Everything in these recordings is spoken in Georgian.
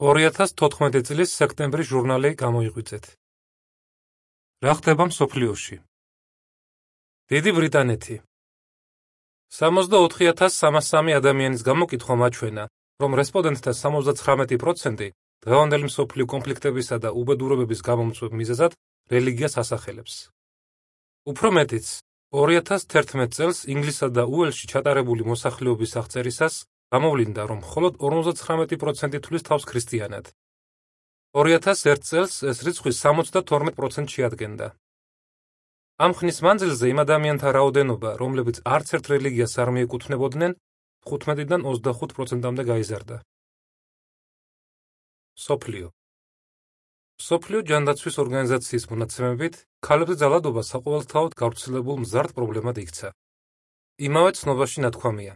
2014 წლის სექტემბრის ჟურნალი გამოიღვიძეთ. რა ხდება მსოფლიოში? დიდი ბრიტანეთი. 64,303 ადამიანის გამოკითხვა მაჩვენა, რომ რესპონდენტთა 79% დღევანდელი მსოფლიო კონფლიქტებისა და უბედურებების გამომწვევ მიზეზად რელიგიას ასახელებს. უფრო მეტიც, 2011 წელს ინგლისსა და უელსში ჩატარებული მოსახლეობის აღწერისას გამოვლინდა, რომ მხოლოდ 59% თვლის თავს ქრისტიანად. 2001 წელს ეს რიცხვი 72% შეადგენდა. ამ ხნის მანძილზე იმ ადამიანთა რაოდენობა, რომლებიც არც ერთ რელიგიას არ მიეკუთვნებოდნენ, 15-დან 25%-მდე გაიზარდა. მსოფლიო ჯანდაცვის ორგანიზაციის მონაცემებით, ქალებზე ძალადობა საყოველთაოდ გავრცელებულ მზარდ პრობლემად იქცა. იმავე ცნობაში ნათქვამია.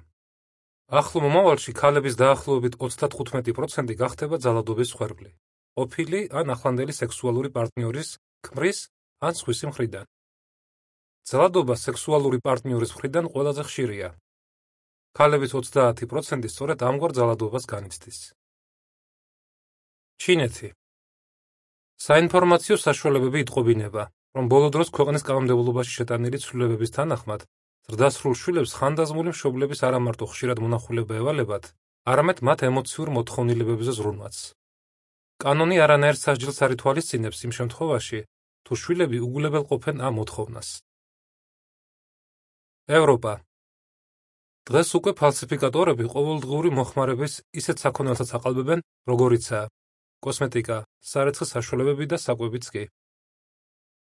ახლო მომავალში ქალების დაახლოებით 35% გახდება ძალადობის მსხვერპლი, ყოფილი ან ახლანდელი სექსუალური პარტნიორის, ქმრის ან სხვისი მხრიდან. ძალადობა სექსუალური პარტნიორის მხრიდან ყველაზე ხშირია. ქალების 30% სწორედ ამგვარ ძალადობას განიცდის. ჩინეთი. საინფორმაციო საშუალებები იტყობინება, რომ ბოლო დროს ქვეყნის კანონმდებლობაში შეტანილი ცვლილებების თანახმად ზრდასრულ შვილებს ხანდაზმული მშობლების არა მარტო ხშირად მონახულება ევალებათ, არამედ მათ ემოციურ მოთხოვნილებებზე ზრუნვაც. კანონი არანაირ სასჯელს არ ითვალისწინებს იმ შემთხვევაში, თუ შვილები უგულებელყოფენ ამ მოთხოვნას. ევროპა. დღეს უკვე ფალსიფიკატორები ყოველდღიური მოხმარების ისეთ საქონელსაც აყალბებენ, როგორიცაა კოსმეტიკა, სარეცხის საშუალებები და საკვებიც კი.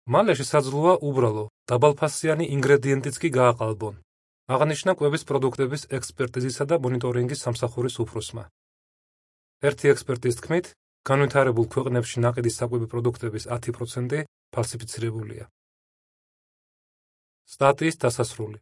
მალე შესაძლოა უბრალო, დაბალფასიანი ინგრედიენტიც კი გააყალბონ, აღნიშნა კვების პროდუქტების ექსპერტიზისა და მონიტორინგის სამსახურის უფროსმა. ერთი ექსპერტის თქმით, განვითარებულ ქვეყნებში ნაყიდი საკვები პროდუქტების 10% ფალსიფიცირებულია. სტატიის დასასრული.